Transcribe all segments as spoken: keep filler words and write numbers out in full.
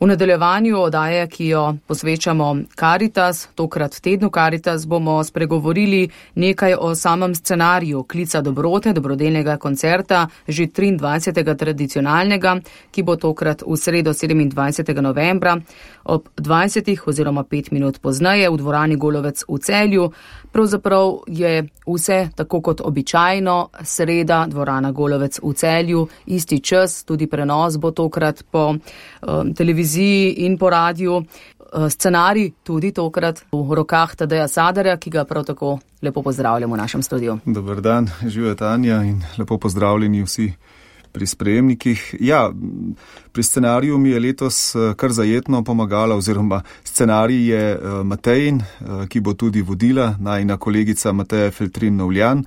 V nadaljevanju oddaje, ki jo posvečamo Karitas, tokrat tednu Karitas, bomo spregovorili nekaj o samem scenariju Klica dobrote, dobrodelnega koncerta, že triindvajsetega tradicionalnega, ki bo tokrat v sredo sedemindvajsetega novembra ob dvajsetih oziroma pet minut pozneje v dvorani Golovec v Celju. Pravzaprav je vse tako kot običajno, sreda, dvorana Golovec v Celju, isti čas, tudi prenos bo tokrat po um, televiziji in po radiju. Scenarij tudi tokrat v rokah Tadeja Sadarja, ki ga prav tako lepo pozdravljamo v našem studiu. Dober dan, živijo Tanja in lepo pozdravljeni vsi pri sprejemnikih. Ja, pri scenariju mi je letos kar zajetno pomagala, oziroma scenarij je Matejin, ki bo tudi vodila, najina kolegica Mateja Feltrin-Novljan.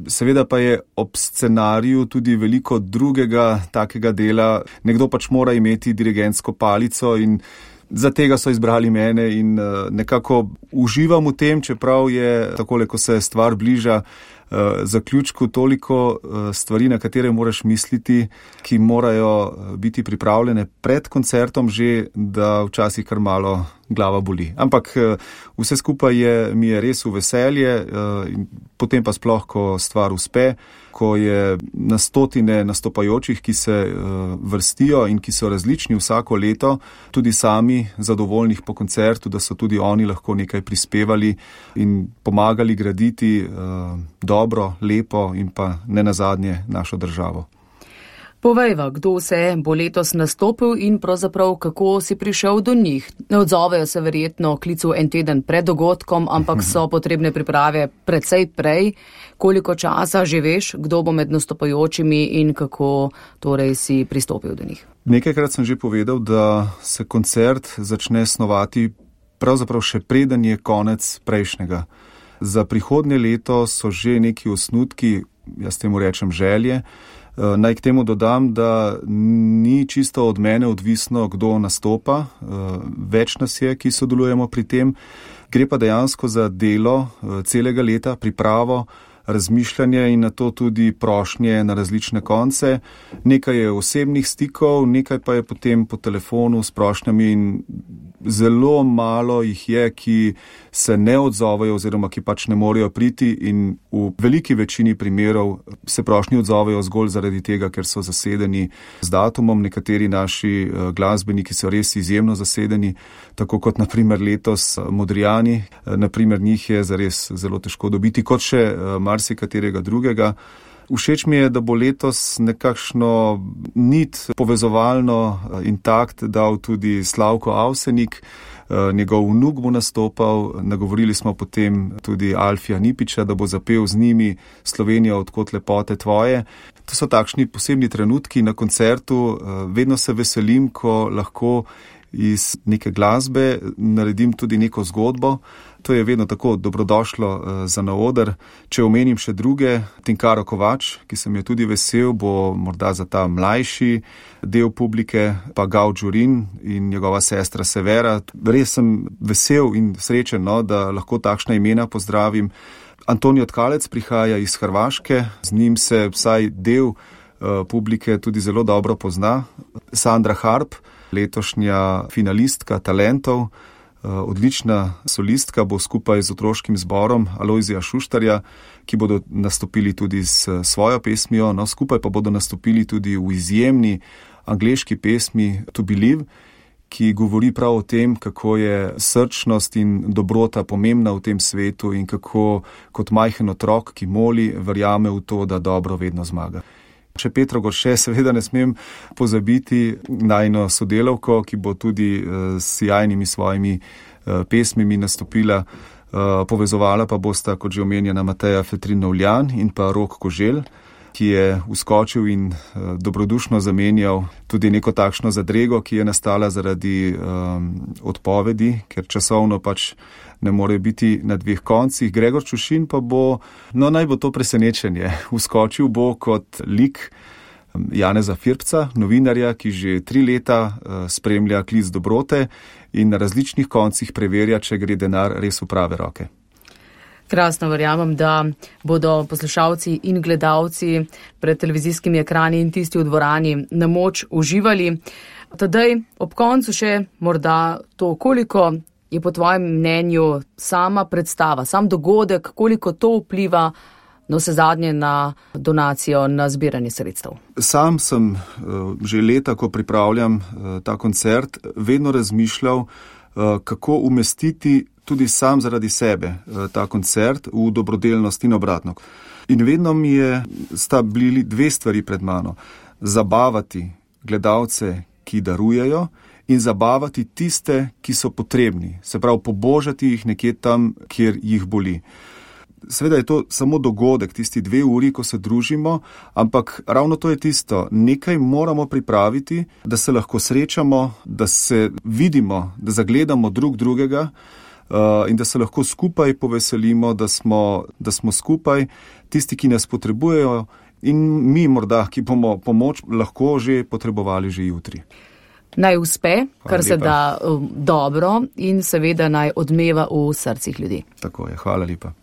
Seveda pa je ob scenariju tudi veliko drugega takega dela. Nekdo pač mora imeti dirigentsko palico in za tega so izbrali mene in nekako uživam v tem, čeprav je takole, ko se stvar bliža zaključku, toliko stvari, na katere moraš misliti, ki morajo biti pripravljene pred koncertom že, da včasih kar malo glava boli. Ampak vse skupaj je, mi je res v veselje, potem pa sploh, ko stvar uspe, ko je na stotine nastopajočih, ki se vrstijo in ki so različni vsako leto, tudi sami zadovoljnih po koncertu, da so tudi oni lahko nekaj prispevali in pomagali graditi dobro, lepo in pa nenazadnje našo državo. Povejva, kdo vse bo letos nastopil in pravzaprav kako si prišel do njih. Ne odzovejo se verjetno klicu en teden pred dogodkom, ampak so potrebne priprave precej prej. Koliko časa že veš, kdo bo med nastopajočimi in kako torej si pristopil do njih? Nekajkrat sem že povedal, da se koncert začne snovati pravzaprav še preden je konec prejšnjega. Za prihodnje leto so že neki osnutki, jaz temu rečem želje. Naj k temu dodam, da ni čisto od mene odvisno, kdo nastopa. Več nas je, ki sodelujemo pri tem. Gre pa dejansko za delo celega leta, pripravo, razmišljanje in na to tudi prošnje na različne konce. Nekaj je osebnih stikov, nekaj pa je potem po telefonu s prošnjami in zelo malo jih je, ki se ne odzovejo oziroma ki pač ne morejo priti in v veliki večini primerov se prošnji odzovejo zgolj zaradi tega, ker so zasedeni z datumom. Nekateri naši glasbeniki so res izjemno zasedeni, tako kot naprimer letos Modrijani. Naprimer njih je zares zelo težko dobiti, kot še marsikaterega drugega. Všeč mi je, da bo letos nekakšno nit povezovalno intakt dal tudi Slavko Avsenik, njegov vnuk bo nastopal, nagovorili smo potem tudi Alfija Nipiča, da bo zapel z njimi Slovenija, odkot lepote tvoje. To so takšni posebni trenutki na koncertu, vedno se veselim, ko lahko iz neke glasbe naredim tudi neko zgodbo. To je vedno tako dobrodošlo za na oder. Če omenim še druge, Tinkaro Kovač, ki sem je tudi vesel, bo morda za ta mlajši del publike, pa Gav Đurin in njegova sestra Severa. Res sem vesel in srečen, no, da lahko takšna imena pozdravim. Antonijo Tkalec prihaja iz Hrvaške, z njim se vsaj del publike tudi zelo dobro pozna. Sandra Harp, letošnja finalistka talentov, odlična solistka, bo skupaj z otroškim zborom Alojzija Šuštarja, ki bodo nastopili tudi s svojo pesmijo, no skupaj pa bodo nastopili tudi v izjemni angleški pesmi To Believe, ki govori prav o tem, kako je srčnost in dobrota pomembna v tem svetu in kako kot majhen otrok, ki moli, verjame v to, da dobro vedno zmaga. Še Petro Gorše seveda ne smem pozabiti, najino sodelavko, ki bo tudi s sjajnimi svojimi pesmimi nastopila. Povezovala pa bosta, kot že omenjena, Mateja Feltrin-Novljan in pa Rok Koželj, ki je vskočil in dobrodušno zamenjal tudi neko takšno zadrego, ki je nastala zaradi um, odpovedi, ker časovno pač ne more biti na dveh koncih. Gregor Čušin pa bo, no naj bo to presenečenje, vskočil bo kot lik Janeza Firpca, novinarja, ki že tri leta spremlja Klic dobrote in na različnih koncih preverja, če gre denar res v prave roke. Krasno, verjamem, da bodo poslušalci in gledalci pred televizijskimi ekrani in tisti v dvorani na moč uživali. Tadej, ob koncu še morda to, koliko je po tvojem mnenju sama predstava, sam dogodek, koliko to vpliva no vse zadnje na donacijo, na zbiranje sredstev. Sam sem že leta, ko pripravljam ta koncert, vedno razmišljal, kako umestiti tudi sam zaradi sebe ta koncert v dobrodelnost in obratno. In vedno mi je, sta bili dve stvari pred mano. Zabavati gledalce, ki darujejo, in zabavati tiste, ki so potrebni. Se pravi, pobožati jih nekje tam, kjer jih boli. Seveda je to samo dogodek, tisti dve uri, ko se družimo, ampak ravno to je tisto. Nekaj moramo pripraviti, da se lahko srečamo, da se vidimo, da zagledamo drug drugega uh, in da se lahko skupaj poveselimo, da smo, da smo skupaj tisti, ki nas potrebujejo in mi morda, ki bomo pomoč lahko že potrebovali že jutri. Naj uspe, kar se da um, dobro in seveda naj odmeva v srcih ljudi. Tako je, hvala lepa.